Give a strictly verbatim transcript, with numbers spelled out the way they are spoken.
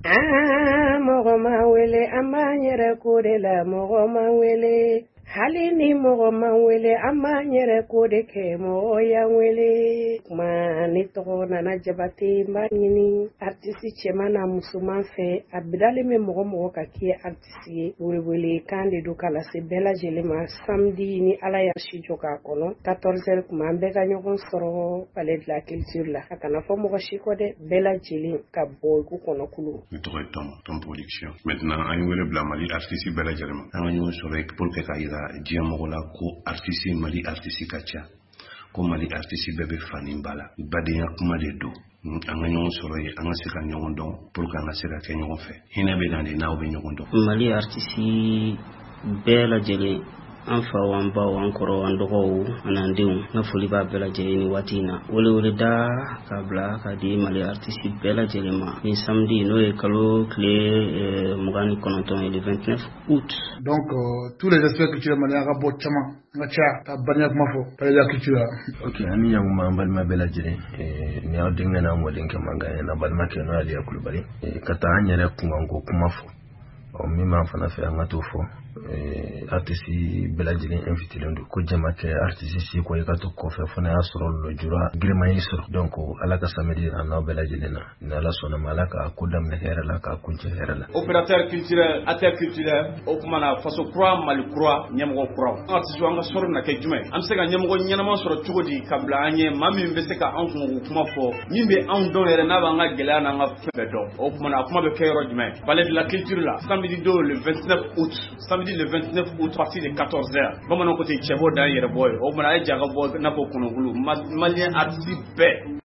Aa, mɔgɔ ma wele, an b'an yɛrɛ ko de la. Mɔgɔ ma wele, hali ni mɔgɔ ma wele, an b'an yɛrɛ ko de kɛ. Mɔgɔ y'an wele kuma. Ne tɔgɔ Nana Jabate. N b'a ɲini artiste cɛman n'a musoman fɛ, a bilalen bɛ mɔgɔ mɔgɔ ka k'i ye artiste ye. Welewele kan de don ka lase bɛɛ lajɛlen ma. Samedi, ni Ala y'a si jɔ k'a kɔnɔ, quatorze heures kuma, an bɛɛ ka ɲɔgɔn sɔrɔ Palais de la Culture la. A kana fɔ mɔgɔ si kɔ dɛ, bɛɛ lajɛlen ka bɔ i k'u kɔnɔ kulu. Ne tɔgɔ ye Tom, Tom Production. Maintenant, an ye wele bila Mali artiste bɛɛ lajɛlen ma, an ka ɲɔgɔn sɔrɔ pour que k'a yira diɲɛ mɔgɔ la ko artiste, Mali artiste ka ca, ko Mali artiste bɛɛ bɛ fani ba la. Badenya kuma de don. An ka ɲɔgɔn sɔrɔ yen, an ka se ka ɲɔgɔn dɔn pour que an ka se ka kɛ ɲɔgɔn fɛ. Hinɛ bɛ na de n'aw bɛ ɲɔgɔn dɔn. Mali artiste bɛɛ lajɛlen, an faw, an baw, an kɔrɔw, an dɔgɔw, an'an denw, n ka foli b'a bɛɛ lajɛlen ni waati in na. Weleweleda k'a bila k'a di Mali artiste bɛɛ lajɛlen ma, ni samedi, n'o ye kalo tile mugan ni kɔnɔntɔn ye, le vingt-neuf août. Donc euh, tous les aspects culturels maliens ka bɔ caman, an ka caya ka badenya kuma fɔ Palais de la Culture la. Ok, an ni ɲankuma, an balima bɛɛ lajɛlen. Ni aw denkɛ n'a mɔdenkɛ mankan ye, n'a balimakɛ, n'o ye Aliya Kulubali, ka taa an yɛrɛ kunkanko kuma fɔ. Ɔ, min b'an fana fɛ, an ka t'o fɔ. Artiste bɛɛ lajɛlen invité don ko jama kɛ artiste si ko i ka to kɔfɛ, fo n'a y'a sɔrɔ lujura giriman y'i sɔrɔ. Donc Ala ka samedi yira n'aw bɛɛ lajɛlen na. Ni Ala sɔnna ma, Ala k'a ko daminɛ hɛrɛ la, k'a kuncɛ hɛrɛ la. Opérateur culturel, acteur culturel, o kuma na, faso kura, Mali kura, ɲɛmɔgɔ kuraw, an artiste, an ka sɔrɔ bɛna kɛ jumɛn? An bɛ se ka ɲɛmɔgɔ ɲɛnama sɔrɔ cogo di ka bila an ɲɛ, maa min bɛ se ka anw kungo kuma fɔ, min bɛ anw dɔn yɛrɛ, n'a b'an ka gɛlɛya n'an ka fɛn bɛɛ dɔn? O kuma na, a kuma bɛ kɛ yɔrɔ jumɛn? Palais de la Culture la, samedi don, le vingt-neuf août, samedi le vingt-neuf août, partir de quatorze heures. Bamananw ko ten, cɛ b'o dan yɛrɛ bɔ ye. O kuma na, a ye ja ka bɔ n'a fɔ kɔnɔkulu malien artiste bɛɛ.